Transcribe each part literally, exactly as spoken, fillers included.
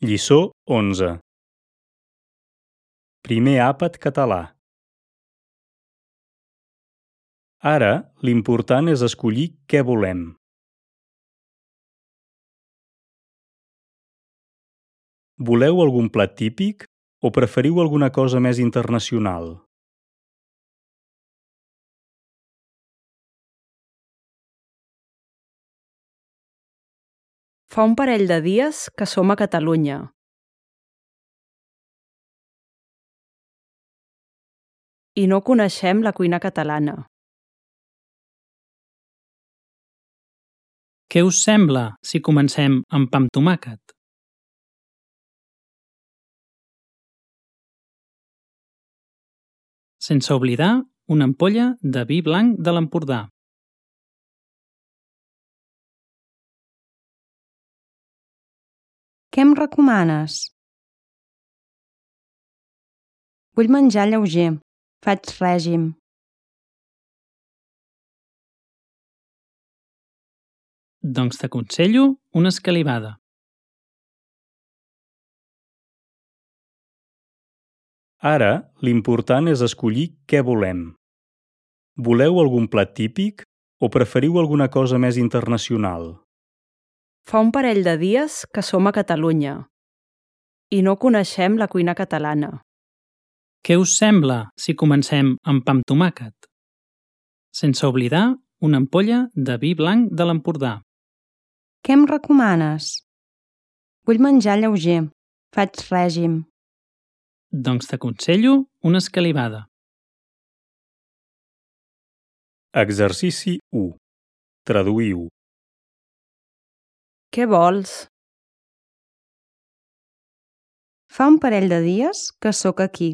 Lliçó onze. Primer àpat català. Ara, l'important és escollir què volem. Voleu algun plat típic o preferiu alguna cosa més internacional? Fa un parell de dies que som a Catalunya. I no coneixem la cuina catalana. Què us sembla si comencem amb pa amb tomàquet? Sense oblidar una ampolla de vi blanc de l'Empordà. Què em recomanes? Vull menjar lleuger. Faig règim. Doncs t'aconsello una escalivada. Ara, l'important és escollir què volem. Voleu algun plat típic o preferiu alguna cosa més internacional? Fa un parell de dies que som a Catalunya. I no coneixem la cuina catalana. Què us sembla si comencem amb pa amb tomàquet? Sense oblidar una ampolla de vi blanc de l'Empordà. Què em recomanes? Vull menjar lleuger. Faig règim. Doncs t'aconsello una escalivada. Exercici u. Traduïu. Què vols? Fa un parell de dies que sóc aquí.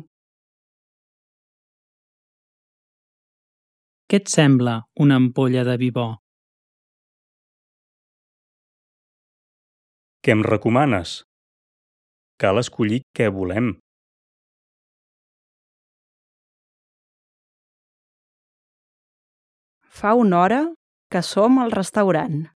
Què et sembla una ampolla de vi bo? Què em recomanes? Cal escollir què volem. Fa una hora que som al restaurant.